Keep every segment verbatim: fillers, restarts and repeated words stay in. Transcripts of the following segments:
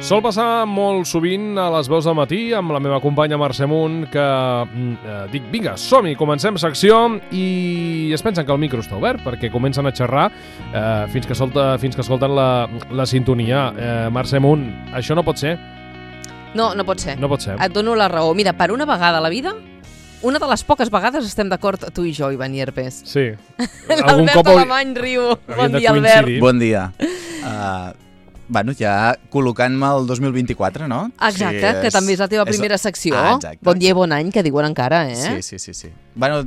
Sol passar molt sovint a les veus del matí amb la meva companya Mercè Munt que eh, dic, vinga, som-hi, comencem secció i es pensen que el micro està obert perquè comencen a xerrar eh, fins, que solta, fins que escolten la, la sintonia. Eh, Mercè Munt, això no pot ser? No, no pot ser. No pot ser. Et dono la raó. Mira, per una vegada a la vida, una de les poques vegades estem d'acord tu i jo, Ivan Yerpes. Sí. L'Albert Alemany riu. Bon dia, Albert. Bon dia. Uh, bueno, ja col·locant-me el dos mil vint-i-quatre, no? Exacte, sí, és, que també és la teva primera és, secció. Ah, exacte. Bon dia i bon any, que diuen encara, eh? Sí, sí, sí. sí. Bueno,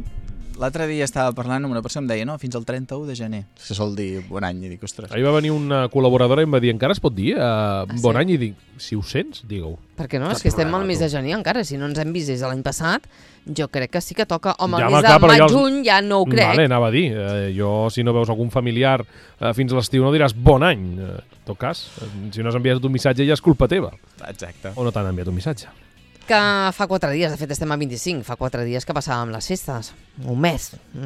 l'altre dia estava parlant amb una persona i em deia, no, fins al trenta-u de gener. Se sol dir bon any, i dic, ostres. Ahir va venir una col·laboradora i em va dir, encara es pot dir uh, ah, bon sí? any? I dic, si ho sents, digue-ho. Per què no? És que estem al mes de gener encara. Si no ens hem vist des de l'any passat, jo crec que sí que toca. Home, el mes de maig-juny ja no ho crec. Vale, anava a dir. Eh, jo, si no veus algun familiar eh, fins a l'estiu, no diràs bon any. Eh, en tot cas, eh, si no has enviat un missatge ja és culpa teva. Exacte. O no t'han enviat un missatge. Que fa quatre dies, de fet estem a vint-i-cinc, fa quatre dies que passàvem les festes. Un mes.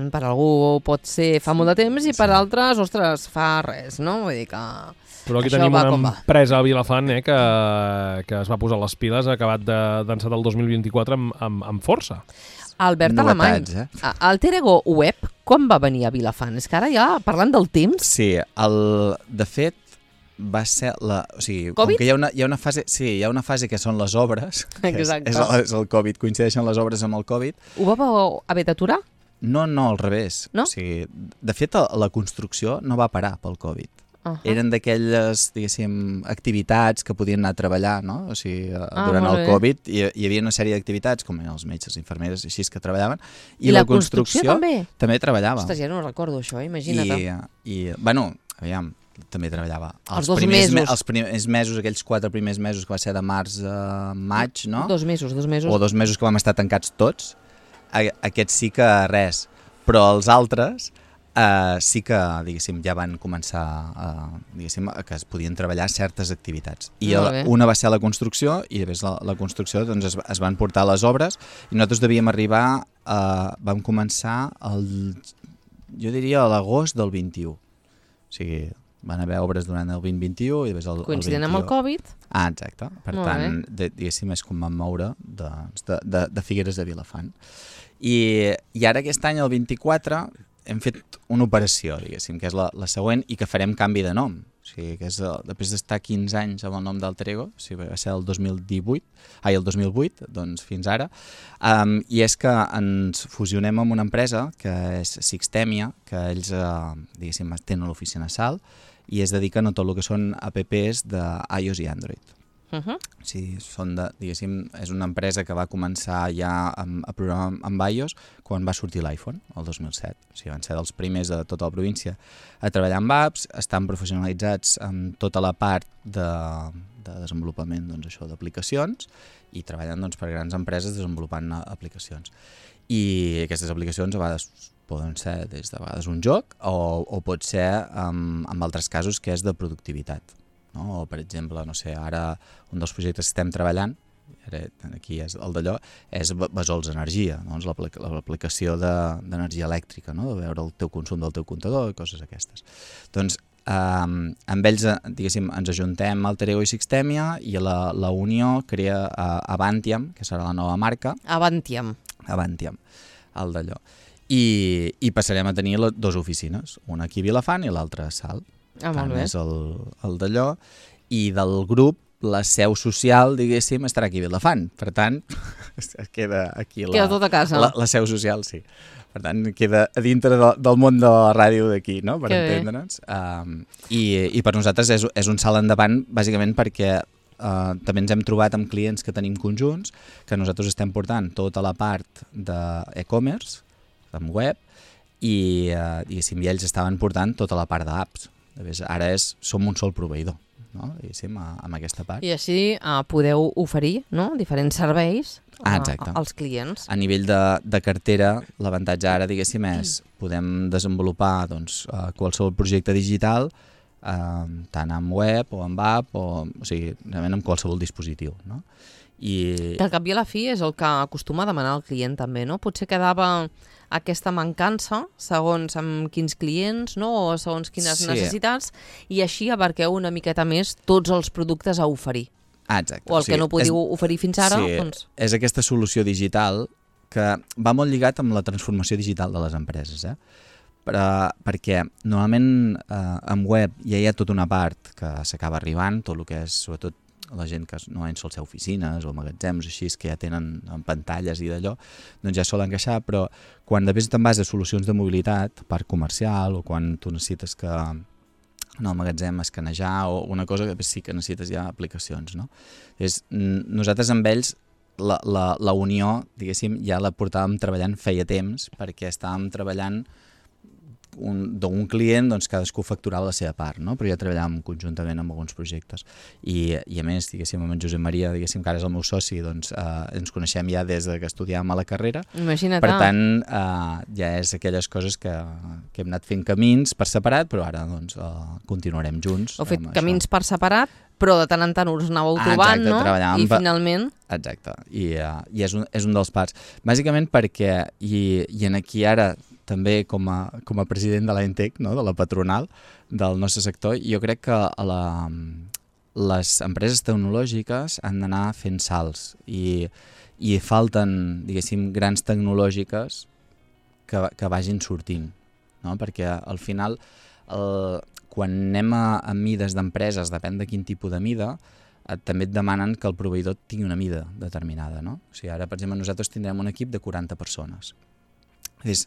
Per algú pot ser fa molt de temps i per sí. altres, ostres, fa res, no? Vull dir que... Però aquí això tenim va una empresa a Vilafant eh, que, que es va posar les piles, ha acabat d'encetar el dos mil vint-i-quatre amb, amb, amb força. Albert Alemany, eh? El Terego Web, quan va venir a Vilafant? És que ara ja, parlant del temps... Sí, el, de fet, va ser la... O sigui, Covid? com que hi ha, una, hi ha una fase... Sí, hi ha una fase que són les obres. Exacte. És, és, el, és el Covid, coincideixen les obres amb el Covid. Ho vau haver d'aturar? No, no, al revés. No? O sigui, de fet, la construcció no va parar pel Covid. Uh -huh. Eren d'aquelles, diguéssim, activitats que podien anar a treballar, no? O sigui, ah, durant el Covid hi, hi havia una sèrie d'activitats, com eren els metges, infermeres, així que treballaven, i, I la, la construcció, construcció també? també treballava. Ostres, ja no recordo això, imagina't. I, i bueno, aviam, també treballava. Els, els dos primers mesos. Me, els primers mesos, aquells quatre primers mesos que va ser de març a maig, no? Dos mesos, dos mesos. O dos mesos que vam estar tancats tots. Aquests sí que res. Però els altres... Uh, sí que, diguéssim, ja van començar uh, diguéssim, que es podien treballar certes activitats. I el, una va ser la construcció i després la, la construcció doncs, es, es van portar les obres i nosaltres devíem arribar, uh, vam començar el, jo diria a l'agost del vint-i-u. O sigui, van haver obres durant el vint vint-i-u i després el, coincident el amb el Covid. Ah, exacte. Per Molt tant, de, diguéssim, és com vam moure de, de, de, de Figueres a Vilafant. I, i ara aquest any, el vint-i-quatre, hem fet una operació, diguéssim, que és la, la següent i que farem canvi de nom. O sigui, que és el, després d'estar quinze anys amb el nom del Terego, o sigui, va ser el dos mil divuit, ai, el dos mil vuit, doncs fins ara, um, i és que ens fusionem amb una empresa que és Sixtemia, que ells, uh, diguéssim, tenen l'oficina a Salt i es dediquen a tot el que són apps d'iOS i Android. Uh -huh. O sigui, són de, diguéssim, és una empresa que va començar ja a, a programar amb iOS quan va sortir l'iPhone, el dos mil set. O sigui, van ser dels primers de tota la província a treballar amb apps, estan professionalitzats en tota la part de, de desenvolupament doncs, això d'aplicacions i treballen doncs, per grans empreses desenvolupant aplicacions. I aquestes aplicacions a vegades poden ser des de vegades un joc o, o pot ser en, en altres casos que és de productivitat. No? O, per exemple, no sé, ara un dels projectes que estem treballant, ara, aquí és el d'allò, és Besols Energia, doncs l'aplicació d'energia elèctrica, no? De veure el teu consum del teu comptador i coses aquestes. Doncs eh, amb ells, diguéssim, ens ajuntem al Terego i Sixtemia i la, la Unió crea uh, Avantiam, que serà la nova marca. Avantiam. Avantiam, el d'allò. I, i passarem a tenir les dues oficines, una aquí a Vilafant i l'altra a Salt. Ah, molt bé. És el, el d'allò. I del grup, la seu social, diguéssim, estarà aquí a Vilafant. Per tant, queda aquí la, queda tot a casa. La, la seu social, sí. Per tant, queda a dintre de, del món de la ràdio d'aquí, no?, per que entendre'ns. Um, i, I per nosaltres és, és un salt endavant, bàsicament perquè uh, també ens hem trobat amb clients que tenim conjunts, que nosaltres estem portant tota la part d'e-commerce, amb web, i, uh, i ells estaven portant tota la part d'apps. Ara és, som un sol proveïdor, no? Diguéssim, amb aquesta part. I així uh, podeu oferir, no?, diferents serveis ah, uh, als clients. A nivell de, de cartera, l'avantatge ara, diguéssim, és podem desenvolupar doncs, uh, qualsevol projecte digital, uh, tant amb web o amb app, o, o sigui, realment amb qualsevol dispositiu, no? I... Que al cap i a la fi és el que acostuma a demanar el client també, no? Potser quedava aquesta mancança segons amb quins clients, no? O segons quines sí. necessitats, i així abarqueu una miqueta més tots els productes a oferir. Ah, exacte. o el o sigui, que no podíeu és, oferir fins ara, sí, doncs... és aquesta solució digital que va molt lligat amb la transformació digital de les empreses, eh? Per, perquè normalment eh, en web ja hi ha tota una part que s'acaba arribant, tot el que és, sobretot, la gent que no sol ser oficines o magatzems així, que ja tenen en pantalles i d'allò, doncs ja solen encaixar, però quan després te'n vas a solucions de mobilitat, parc comercial, o quan tu necessites que en el magatzem escanejar o una cosa que sí que necessites ja aplicacions, no? És, nosaltres amb ells la, la, la unió, diguéssim, ja la portàvem treballant feia temps, perquè estàvem treballant d'un client, doncs cadascú facturava la seva part, no? Però ja treballàvem conjuntament amb alguns projectes. I, i a més, diguéssim, amb en Josep Maria, diguéssim, que ara és el meu soci, doncs eh, ens coneixem ja des de que estudiàvem a la carrera. Imagina't. Per tant, eh, ja és aquelles coses que, que hem anat fent camins per separat, però ara doncs eh, continuarem junts. Heu fet camins això. Per separat, però de tant en tant us anàveu ah, trobant, exacte, no? I finalment... Exacte, i, uh, i és, un, és un dels parts. Bàsicament perquè, i, i en aquí ara també com a, com a president de l'A N T E C, no? De la patronal del nostre sector, jo crec que a la, les empreses tecnològiques han d'anar fent salts i, i falten, diguéssim, grans tecnològiques que, que vagin sortint, no? Perquè al final... El, quan anem a, a mides d'empreses, depèn de quin tipus de mida, eh, també et demanen que el proveïdor tingui una mida determinada, no? O sigui, ara, per exemple, nosaltres tindrem un equip de quaranta persones. És,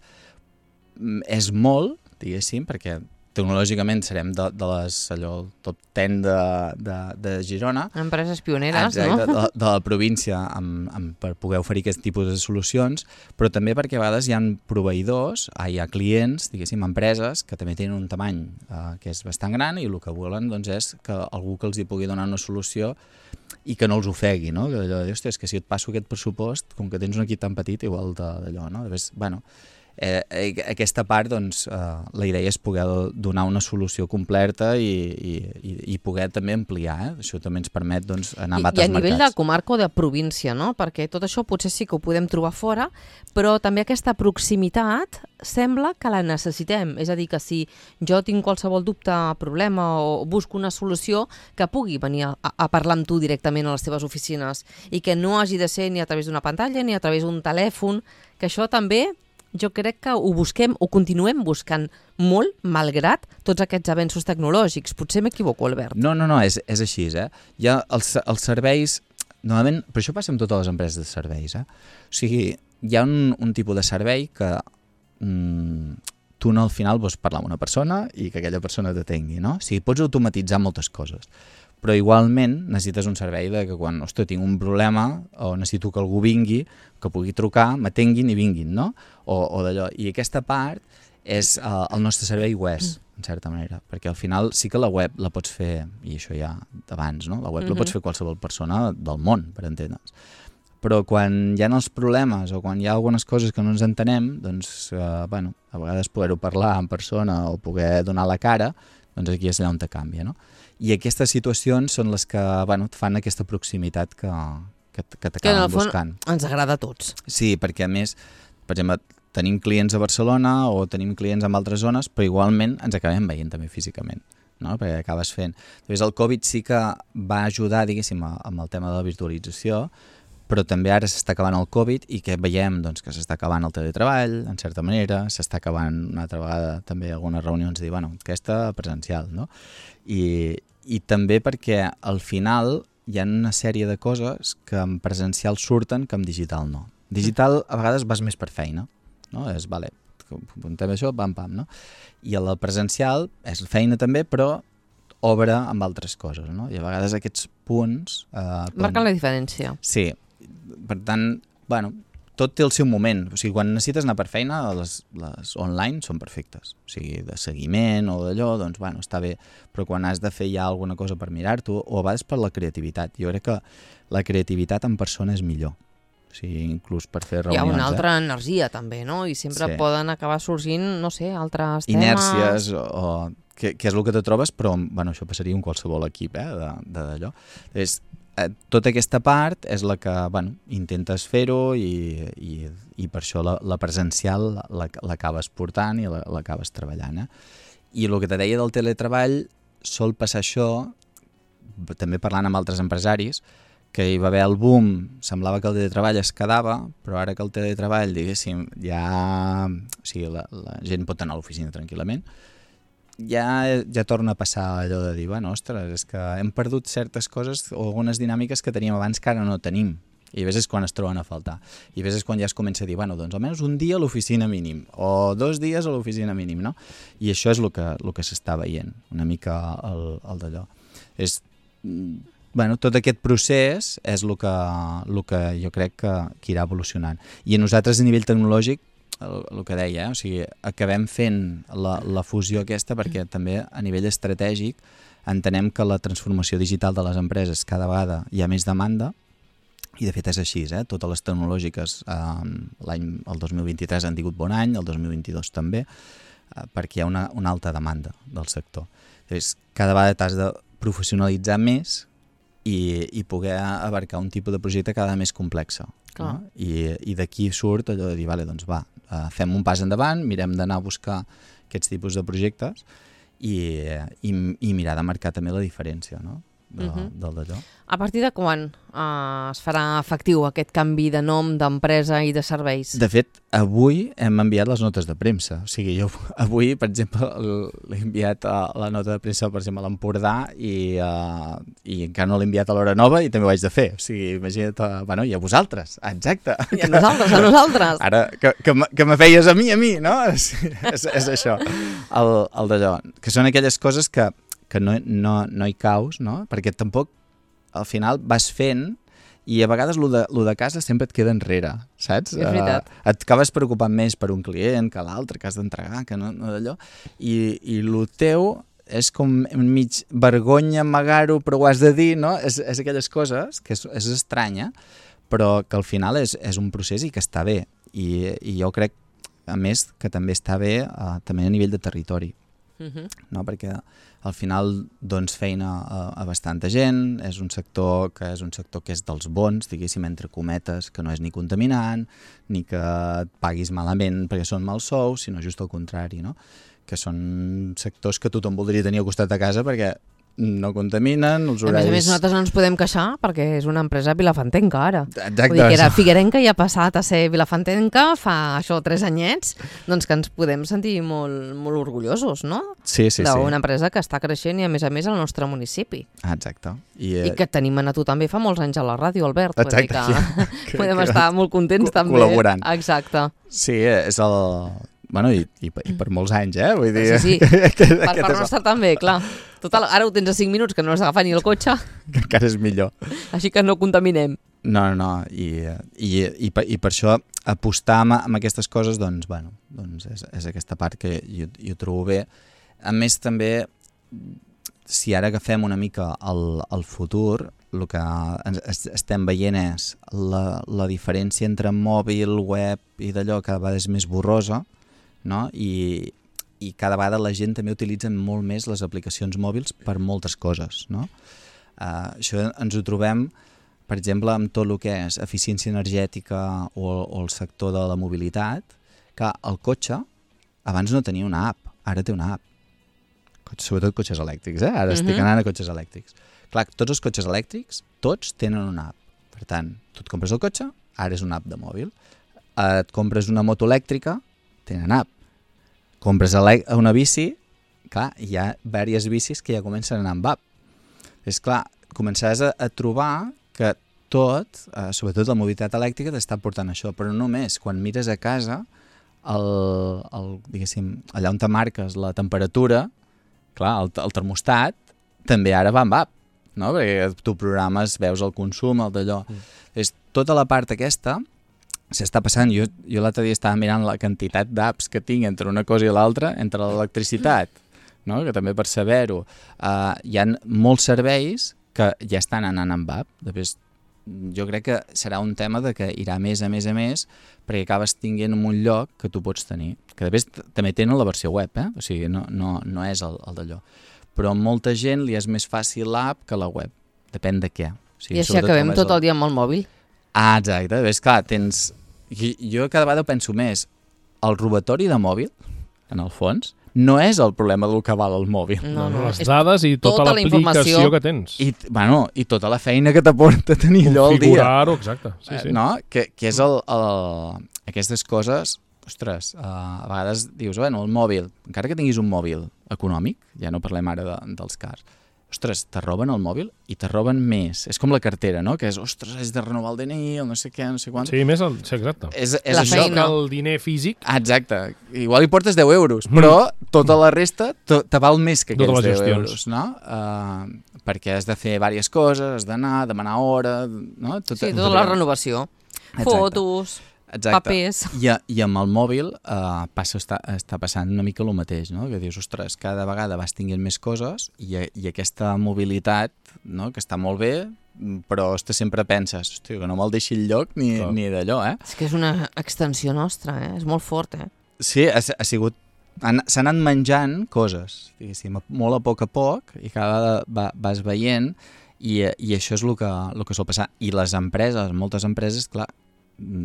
és molt, diguéssim, perquè tecnològicament serem de, de les, allò, top deu de, de, de Girona. Empreses pioneres, exacte, no? De, de la província amb, amb, per poder oferir aquest tipus de solucions, però també perquè a vegades hi ha proveïdors, ah, hi ha clients, diguéssim, empreses, que també tenen un tamany eh, que és bastant gran i el que volen doncs, és que algú que els hi pugui donar una solució i que no els ofegui, no? Que allò de dir, hòstia, és que si et passo aquest pressupost, com que tens un equip tan petit, igual d'allò, no? Després, bueno, Eh, aquesta part, doncs, eh, la idea és poder donar una solució completa i, i, i poder també ampliar, eh? Això també ens permet doncs, anar a altres mercats. I a nivell de comarca o de província, no? Perquè tot això potser sí que ho podem trobar fora, però també aquesta proximitat sembla que la necessitem. És a dir, que si jo tinc qualsevol dubte, problema o busco una solució, que pugui venir a, a parlar amb tu directament a les teves oficines i que no hagi de ser ni a través d'una pantalla ni a través d'un telèfon, que això també... Jo crec que ho busquem, ho continuem buscant molt, malgrat tots aquests avenços tecnològics. Potser m'equivoco, Albert. No, no, no, és, és així, eh? Hi ha els, els serveis... Normalment, però això passa amb totes les empreses de serveis, eh? O sigui, hi ha un, un tipus de servei que mm, tu no, al final vols parlar amb una persona i que aquella persona t'atengui, no? O sigui, pots automatitzar moltes coses, però igualment necessites un servei de que quan, ostres, tinc un problema o necessito que algú vingui, que pugui trucar, m'atenguin i vinguin, no? O, o d'allò. I aquesta part és uh, el nostre servei U E S, en certa manera, perquè al final sí que la web la pots fer, i això ja d'abans, no? La web mm-hmm. la pots fer qualsevol persona del món, per entendre'ns. Però quan hi ha els problemes o quan hi ha algunes coses que no ens entenem, doncs, uh, bueno, a vegades poder-ho parlar en persona o poder donar la cara, doncs aquí és allà on te canvia, no? I aquestes situacions són les que, bueno, et fan aquesta proximitat que, que, que t'acaben buscant. Que en el fons ens agrada a tots. Sí, perquè a més, per exemple, tenim clients a Barcelona o tenim clients en altres zones, però igualment ens acabem veient també físicament, no? Perquè acabes fent... Després el Covid sí que va ajudar, diguéssim, amb el tema de la virtualització, però també ara s'està acabant el Covid i que veiem doncs, que s'està acabant el teletreball, en certa manera, s'està acabant una altra vegada també algunes reunions de dir, bueno, aquesta presencial, no? I, i també perquè al final hi ha una sèrie de coses que en presencial surten que en digital no. Digital a vegades vas més per feina, no? És, vale, apuntem això, pam, pam, no? I el presencial és feina també, però obre amb altres coses, no? I a vegades aquests punts... Eh, marquen la diferència. Sí, per tant, bueno, tot té el seu moment. O sigui, quan necessites anar per feina, les, les online són perfectes. O sigui, de seguiment o d'allò, doncs, bueno, està bé. Però quan has de fer ja alguna cosa per mirar-t'ho, o a vegades per la creativitat. Jo crec que la creativitat en persona és millor. O sigui, inclús per fer reunions. Hi ha una altra eh? energia, també, no? I sempre sí. poden acabar sorgint, no sé, altres temes... Inèrcies, o, o que, que és el que te trobes, però, bueno, això passaria en qualsevol equip, eh, d'allò. És... Tota aquesta part és la que, bueno, intentes fer-ho i, i, i per això la, la presencial l'acabes portant i l'acabes treballant. Eh? I el que te deia del teletreball sol passar això també parlant amb altres empresaris, que hi va haver el boom, semblava que el teletreball es quedava, però ara que el teletreball, diguéssim, ja... O sigui, la, la gent pot anar a l'oficina tranquil·lament, ja, ja torna a passar allò de dir, bueno, ostres, és que hem perdut certes coses o algunes dinàmiques que teníem abans que ara no tenim. I a vegades és quan es troben a faltar. I a vegades és quan ja es comença a dir, bueno, doncs almenys un dia a l'oficina mínim, o dos dies a l'oficina mínim, no? I això és el que, el que s'està veient, una mica el, el d'allò. És, bueno, tot aquest procés és el que, el que jo crec que, que irà evolucionant. I a nosaltres a nivell tecnològic, el, el que deia, eh? O sigui, acabem fent la, la fusió aquesta perquè també a nivell estratègic entenem que la transformació digital de les empreses cada vegada hi ha més demanda. I de fet és així, eh? Totes les tecnològiques eh, l'any, el dos mil vint-i-tres han tingut bon any, el dos mil vint-i-dos també, eh, perquè hi ha una, una alta demanda del sector. Llavors, cada vegada t'has de professionalitzar més i, i poder abarcar un tipus de projecte cada més complex. No? I, i d'aquí surt allò de dir, vale, doncs va, eh, fem un pas endavant, mirem d'anar a buscar aquests tipus de projectes i, i, i mirar de marcar també la diferència, no? De, uh-huh. del d'allò. A partir de quan uh, es farà efectiu aquest canvi de nom, d'empresa i de serveis? De fet, avui hem enviat les notes de premsa. O sigui, jo avui, per exemple, l'he enviat a la nota de premsa, per exemple, a l'Empordà i, uh, i encara no l'he enviat a l'Hora Nova i també ho haig de fer. O sigui, imagina't, uh, bueno, i a vosaltres, exacte. I a nosaltres, a nosaltres. Ara, que, que, que me feies a mi, a mi, no? És, és, és això, el, el d'allò. Que són aquelles coses que que no, no, no hi caus, no? Perquè tampoc al final vas fent i a vegades lo de, lo de casa sempre et queda enrere, saps? És veritat. Uh, et acabes preocupant més per un client que l'altre, que has d'entregar, que no, no d'allò, i, i lo teu és com mig vergonya amagar-ho, però ho has de dir, no? És, és aquelles coses que és, és estranya, però que al final és, és un procés i que està bé. I, i jo crec, a més, que també està bé uh, també a nivell de territori. Uh-huh. No? Perquè al final dones feina a, a bastanta gent, és un sector que és un sector que és dels bons, diguéssim, entre cometes, que no és ni contaminant, ni que et paguis malament perquè són mals sous, sinó just al contrari, no? Que són sectors que tothom voldria tenir al costat de casa perquè no contaminen, els horaris... A més a més, nosaltres no ens podem queixar perquè és una empresa vilafantenca ara. Exacte. Vull dir que era Figuerenca i ha passat a ser vilafantenca fa això tres anyets, doncs que ens podem sentir molt, molt orgullosos, no? Sí, sí, sí. D'una empresa que està creixent i a més a més al nostre municipi. Exacte. I, I que tenim a tu també fa molts anys a la ràdio, Albert. Exacte. Vull dir que, que podem que estar molt contents també. Col·laborant. Exacte. Sí, és el... Bueno, i, i, i per molts anys, eh? Vull dir... Sí, sí, que, que, per part nostra és... també, clar. Total, ara ho tens a cinc minuts, que no has d'agafar ni el cotxe. Que encara és millor. Així que no contaminem. No, no, no. I, i, i, per, i per això apostar amb, amb aquestes coses, doncs, bueno, doncs és, és aquesta part que jo, jo trobo bé. A més, també, si ara agafem una mica el, el futur, el que ens, estem veient és la, la diferència entre mòbil, web i d'allò cada vegada és més borrosa, no? I, i cada vegada la gent també utilitza molt més les aplicacions mòbils per moltes coses, no? Uh, això ens ho trobem, per exemple, amb tot el que és eficiència energètica o, o el sector de la mobilitat, que el cotxe abans no tenia una app, ara té una app. Sobretot cotxes elèctrics, eh? Ara uh-huh. estic anant a cotxes elèctrics. Clar, tots els cotxes elèctrics, tots tenen una app. Per tant, tu et compres el cotxe, ara és una app de mòbil. Et compres una moto elèctrica, tenen app. Compres una bici, clar, hi ha diverses bicis que ja comencen a anar amb app. És clar, començaràs a, a trobar que tot, eh, sobretot la mobilitat elèctrica, t'està portant això, però no només. Quan mires a casa, el, el, diguéssim, allà on te marques la temperatura, clar, el, el termostat, també ara va amb app, no? Perquè tu programes, veus el consum, el d'allò. Mm. És tota la part aquesta... s'està passant. Jo, jo l'altre dia estava mirant la quantitat d'apps que tinc entre una cosa i l'altra, entre l'electricitat, no? Que també per saber-ho. Uh, hi ha molts serveis que ja estan anant amb app. Després, jo crec que serà un tema de que irà més a més a més perquè acabes tinguent en un lloc que tu pots tenir. Que després també tenen la versió web, eh? O sigui, no, no, no és el, el d'allò. Però a molta gent li és més fàcil l'app que la web. Depèn de què. O sigui, I així acabem tot el... el dia amb el mòbil. Ah, exacte. Ves, clar, tens... Jo cada vegada penso més el robatori de mòbil, en el fons, no és el problema del que val el mòbil. No, No, no, les és dades i tota, tota la l'aplicació informació. que tens. I, bueno, i tota la feina que t'aporta tenir allò al dia. Configurar-ho, exacte. Sí, sí. Eh, No? Que, que és el, el... Aquestes coses, ostres, uh, a vegades dius, bueno, el mòbil, encara que tinguis un mòbil econòmic, ja no parlem ara de, dels cars, ostres, te roben el mòbil i te roben més. És com la cartera, no? Que és, ostres, has de renovar el D N I, o no sé què, no sé quant. Sí, més el... Sí, exacte. És, és La això. feina. Que el diner físic... Ah, exacte. Igual hi portes deu euros, però tota la resta te, te val més que Totes aquells les deu gestions. euros, no? Uh, perquè has de fer diverses coses, has d'anar, demanar hora, no? Tot, Sí, tota la renovació. Exacte. Fotos, Exacte. papers... I, I amb el mòbil uh, passa, està, està passant una mica el mateix, no? Que dius, ostres, cada vegada vas tinguent més coses i, i aquesta mobilitat, no? Que està molt bé, però ostres, sempre penses, hòstia, que no me'l deixi el lloc ni, Clar. ni d'allò, eh? És que és una extensió nostra, eh? És molt fort, eh? Sí, ha, ha sigut... han- S'han anat menjant coses, diguéssim, molt a poc a poc, i cada vegada va, vas veient, i, i això és el que, el que sol passar. I les empreses, moltes empreses, clar,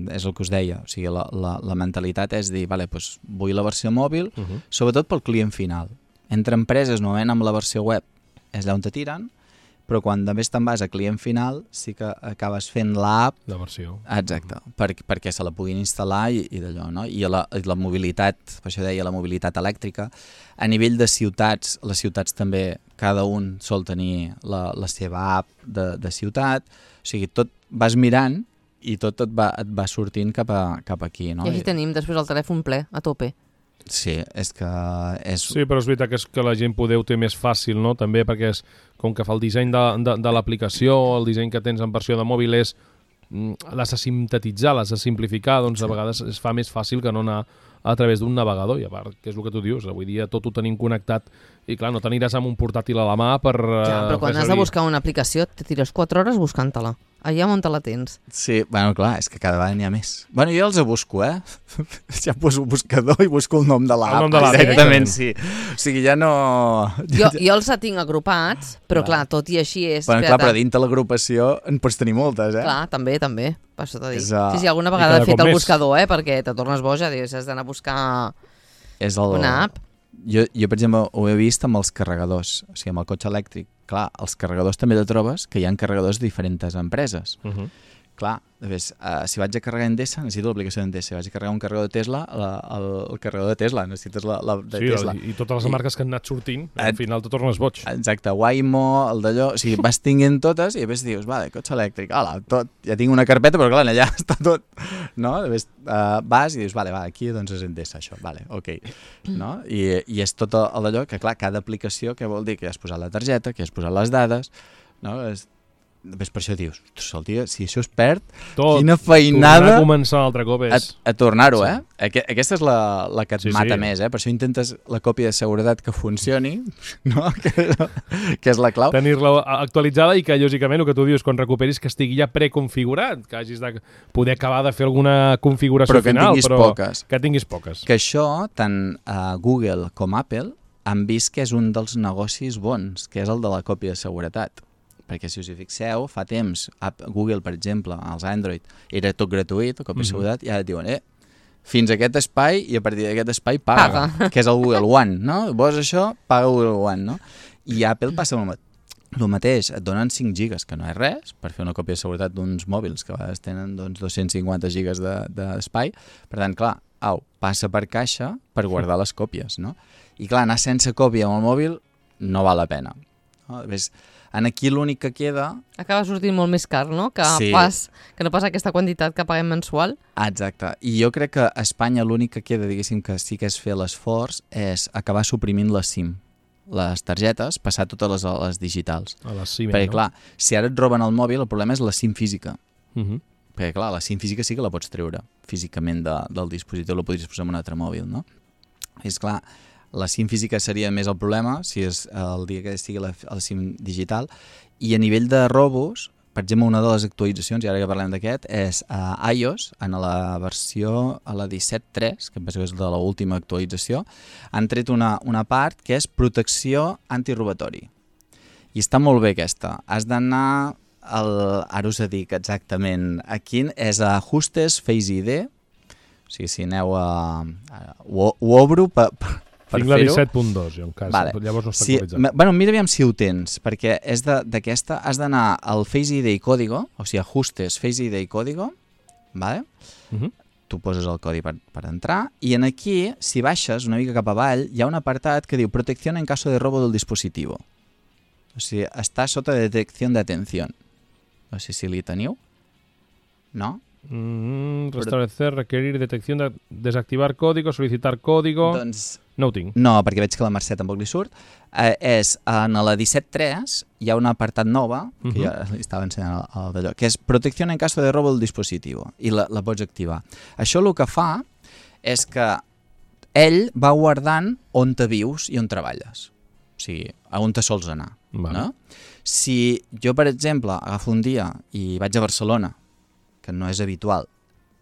és el que us deia, o sigui, la, la, la mentalitat és dir, vale, doncs vull la versió mòbil, Uh -huh. sobretot pel client final. Entre empreses, normalment amb la versió web és allà on te tiren, però quan més te'n vas a client final sí que acabes fent l'app. La versió. Exacte, per, perquè se la puguin instal·lar i, i d'allò, no? I la, i la mobilitat, per això deia la mobilitat elèctrica, a nivell de ciutats, les ciutats també, cada un sol tenir la, la seva app de, de ciutat, o sigui, tot vas mirant i tot et va, et va sortint cap, a, cap aquí, no? I aquí tenim després el telèfon ple, a tope. Sí, és que és... Sí, però és veritat que, és que la gent poder ho té més fàcil, no? També perquè és, com que fa el disseny de, de, de l'aplicació, el disseny que tens en versió de mòbil és mm, l'has de sintetitzar, l'has de simplificar, doncs a vegades es fa més fàcil que no anar a través d'un navegador, i a part, que és el que tu dius, avui dia tot ho tenim connectat, i clar, no t'aniràs amb un portàtil a la mà per... Ja, però quan has de buscar una aplicació, te tires quatre hores buscant-te-la. Allà on te la tens. Sí, bueno, clar, és que cada vegada n'hi ha més. Bueno, jo els busco, eh? Ja poso el buscador i busco el nom de l'app. El nom de l'app, Exactament, sí. sí. O sigui, ja no... Jo, jo els tinc agrupats, però Clar. clar, tot i així és... Bueno, clar, espera't. però dintre l'agrupació en pots tenir moltes, eh? Clar, també, també. Per això t'ho dic. És, uh, Sí, sí, alguna i vegada cada he fet cop el més. buscador, eh? Perquè te tornes boja, dius, has d'anar a buscar És el... una app. Jo, jo, per exemple, ho he vist amb els carregadors. O sigui, amb el cotxe elèctric. Clar, els carregadors també te trobes que hi ha carregadors de diferents empreses. Uh -huh. Clar, ves, uh, si vaig a carregar Endesa, necessito l'aplicació d'Endesa. Si vaig a carregar un carregador de Tesla, la, el, el carregador de Tesla, necessites la, la de Sí, Tesla. el, i totes les I- marques que han anat sortint, al Et- final te tornes boig. Exacte, Waymo, el d'allò... O sigui, vas tinguent totes i després dius, vale, cotxe elèctric, ala, tot. Ja tinc una carpeta, però clar, allà està tot. No? Després uh, vas i dius, vale, va, aquí doncs és Endesa, això, vale, ok. No? I, I és tot el d'allò que, clar, cada aplicació, que vol dir que has posat la targeta, que has posat les dades, no? És... Després per això dius, ostres, el dia, si això es perd, Tot. quina Tornar feinada a començar un altre cop a, és... a tornar-ho, Sí. eh? Aqu aquesta és la, la que et Sí, mata sí. més, eh? Per això intentes la còpia de seguretat que funcioni, no? que, que és la clau. Tenir-la actualitzada i que, lògicament, el que tu dius, quan recuperis, que estigui ja preconfigurat, que hagis de poder acabar de fer alguna configuració Però que en final, tinguis però poques. que tinguis poques. Que això, tant a Google com Apple, han vist que és un dels negocis bons, que és el de la còpia de seguretat. Perquè si us hi fixeu, fa temps, Google, per exemple, als Android, era tot gratuït, la còpia de seguretat, i ara et diuen, eh, fins a aquest espai i a partir d'aquest espai paga, Paga. que és el Google One, no? Vols això, paga Google One, no? I Apple passa el, el mateix, et donen cinc gigas, que no és res, per fer una còpia de seguretat d'uns mòbils que a vegades tenen doncs, dos-cents cinquanta gigas d'espai, de, per tant, clar, au, passa per caixa per guardar les còpies, no? I clar, anar sense còpia amb el mòbil no val la pena. No? Ves, en aquí l'únic que queda... Acaba sortint molt més car, no? Que, Sí. pas, que no pas aquesta quantitat que paguem mensual. Exacte. I jo crec que a Espanya l'únic que queda, diguéssim, que sí que és fer l'esforç, és acabar suprimint la SIM. Les targetes, passar totes les, les digitals. A la CIME, Perquè, no? clar, si ara et roben el mòbil, el problema és la SIM física. Uh -huh. Perquè, clar, la SIM física sí que la pots treure físicament de, del dispositiu, la podries posar en un altre mòbil, no? És clar, la SIM física seria més el problema, si és el dia que estigui la, la SIM digital, i a nivell de robos, per exemple, una de les actualitzacions, i ara que parlem d'aquest, és a iOS, en la versió, a la disset punt tres, que em penso que és de l'última actualització, han tret una, una part que és protecció antirobatori. I està molt bé aquesta. Has d'anar, al, ara us dic exactament a quin, és a Ajustes Face I D, o sigui, si aneu a... a ho, ho obro per, per Tinc la fer-ho. disset punt dos, en cas. Vale. Llavors no està Sí, actualitzat. bueno, mira aviam si ho tens, perquè és d'aquesta, has d'anar al Face I D i código, o sigui, ajustes, Face I D i código, vale? Uh -huh. Tu poses el codi per, per entrar, i en aquí, si baixes una mica cap avall, hi ha un apartat que diu protecció en caso de robo del dispositivo. O sigui, està sota detecció d'atenció. No sé si li teniu. No? Mm, restablecer, requerir detecció, de desactivar código, solicitar código... Doncs no ho tinc. no, perquè veig que la Mercè tampoc li surt. Eh, és, en la disset punt tres hi ha un apartat nova, que uh -huh. ja li estava ensenyant el, el d'allò, que és protecció en caso de robo del dispositivo, i la, la pots activar. Això el que fa és que ell va guardant on te vius i on treballes. O sigui, a on te sols anar. Vale. No? Si jo, per exemple, agafo un dia i vaig a Barcelona, que no és habitual,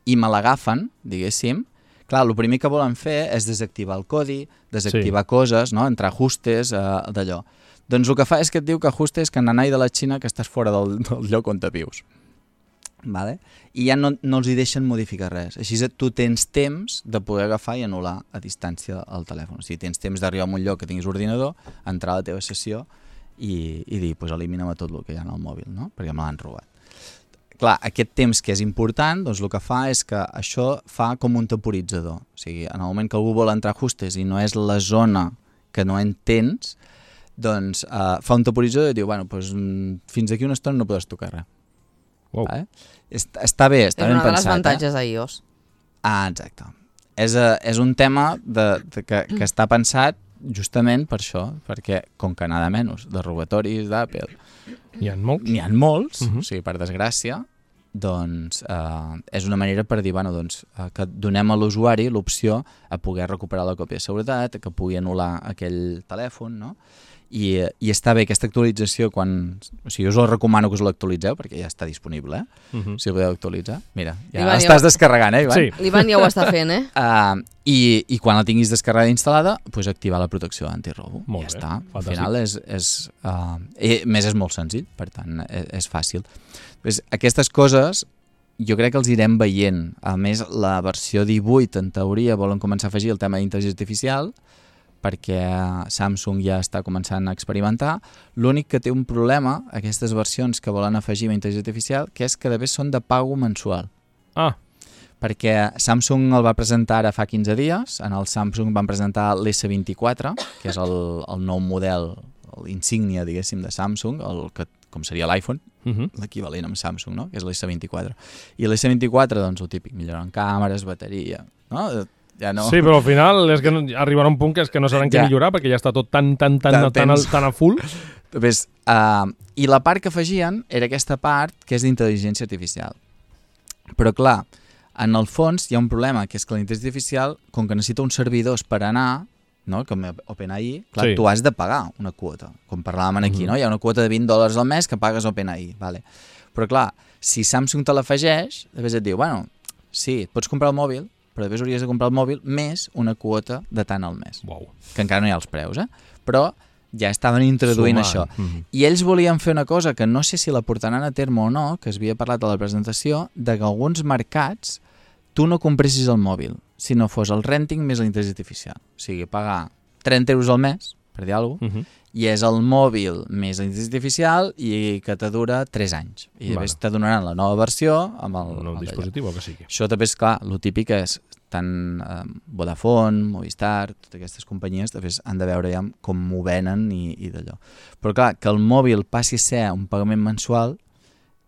i me l'agafen, diguéssim, clar, el primer que volen fer és desactivar el codi, desactivar sí. coses, no? Entrar ajustes, eh, d'allò. Doncs el que fa és que et diu que ajustes que nanai de la Xina que estàs fora del, del lloc on te vius. Vale? I ja no, no els hi deixen modificar res. Així tu tens temps de poder agafar i anul·lar a distància el telèfon. O sigui, tens temps d'arribar a un lloc que tinguis ordinador, entrar a la teva sessió i, i dir, pues, elimina'm tot el que hi ha en el mòbil, no? Perquè me l'han robat. Clar, aquest temps que és important, doncs el que fa és que això fa com un temporitzador. O sigui, en el moment que algú vol entrar a ajustes i no és la zona que no entens, doncs uh, fa un temporitzador i diu, bueno, doncs, fins aquí una estona no podes tocar res. Wow. Vale? Està, està bé, està és ben una de les pensat. avantatges eh? d'iOS. Ah, exacte. És, uh, és un tema de, de que, que està pensat justament per això, perquè com que nada menys de robatoris d'Apple N'hi ha molts? n'hi ha molts, uh -huh. o sigui, per desgràcia, doncs eh, és una manera per dir, bueno, doncs, eh, que donem a l'usuari l'opció a poder recuperar la còpia de seguretat, que pugui anul·lar aquell telèfon, no? I, i està bé aquesta actualització quan... O sigui, us ho recomano que us l'actualitzeu perquè ja està disponible, eh? Uh -huh. Si el podeu actualitzar. Mira, ja Ivan, l'estàs ja... descarregant, eh, Ivan? Sí. L'Ivan ja ho està fent, eh? Uh, i, I quan la tinguis descarregada i instal·lada, doncs activar la protecció antirobo. Molt ja bé, està. fantàstic. Al final és... és uh, i, més és molt senzill, per tant, és, és fàcil. Pues, aquestes coses jo crec que els irem veient. A més, la versió divuit, en teoria, volen començar a afegir el tema d'intel·ligència artificial, perquè Samsung ja està començant a experimentar. L'únic que té un problema, aquestes versions que volen afegir amb intel·ligència artificial, que és que de vegades són de pago mensual. Ah. Perquè Samsung el va presentar ara fa quinze dies, en el Samsung van presentar l'S vint-i-quatre, que és el, el nou model, l'insígnia, diguéssim, de Samsung, el que, com seria l'iPhone, uh -huh. l'equivalent amb Samsung, no? Que és l'S vint-i-quatre. I l'S vint-i-quatre, doncs, el típic, millorant càmeres, bateria, no? Ja no. Sí, però al final és que no, arribarà un punt que és que no saben què ja. millorar perquè ja està tot tan, tan, tan, tan, tan, tan a full. Ves, uh, I la part que afegien era aquesta part que és d'intel·ligència artificial. Però clar, en el fons hi ha un problema, que és que la intel·ligència artificial, com que necessita uns servidors per anar, no? Com OpenAI, clar, sí. tu has de pagar una quota. Com parlàvem aquí, uh-huh. no? Hi ha una quota de vint dòlars al mes que pagues a OpenAI. Vale. Però clar, si Samsung te l'afegeix, després et diu, bueno, sí, et pots comprar el mòbil, però després hauries de comprar el mòbil més una quota de tant al mes. Wow. Que encara no hi ha els preus, eh? Però ja estaven introduint Sumant. això. Mm-hmm. I ells volien fer una cosa que no sé si la portaran a terme o no, que es havia parlat a la presentació, de que alguns mercats tu no compressis el mòbil, si no fos el renting més la intel·ligència artificial. O sigui, pagar trenta euros al mes, per dir alguna cosa, mm-hmm. i és el mòbil més la intel·ligència artificial i que te dura tres anys. I després vale. te donaran la nova versió amb el... El nou dispositiu, que sigui. Això també és clar, el típic és tant eh, Vodafone, Movistar, totes aquestes companyies després han de veure ja com m'ho venen i, i d'allò. Però clar, que el mòbil passi a ser un pagament mensual,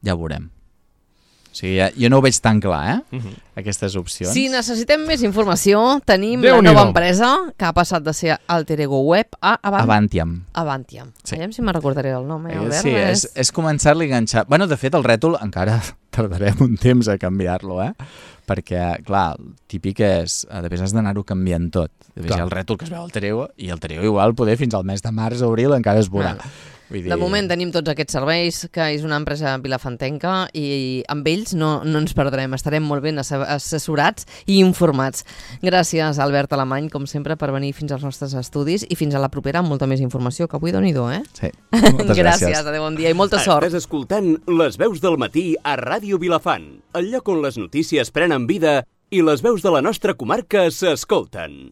ja ho veurem. O sigui, ja, jo no ho veig tan clar, eh? Uh-huh. Aquestes opcions. Si necessitem més informació, tenim Déu la nova no. empresa que ha passat de ser Alter Ego Web a Avant... Avantiam. Avantiam. Sí. Aviam si me'n recordaré del nom, eh, Albert? Sí, és, és començar-li a enganxar. Bueno, de fet, el rètol encara tardarem un temps a canviar-lo, eh? Perquè, clar, el típic és... Després has d'anar-ho canviant tot. Després hi ha el rètol que es veu al Alter Ego i el Alter Ego igual poder fins al mes de març o abril encara es veurà. Ah. Vull dir... De moment tenim tots aquests serveis, que és una empresa vilafantenca i amb ells no, no ens perdrem, estarem molt ben assessorats i informats. Gràcies, Albert Alemany, com sempre, per venir fins als nostres estudis i fins a la propera amb molta més informació, que avui doni-do, eh? Sí, moltes gràcies. Gràcies, adéu, bon dia i molta sort. Estàs escoltant Les Veus del Matí a Ràdio Vilafant, el lloc on les notícies prenen vida i les veus de la nostra comarca s'escolten.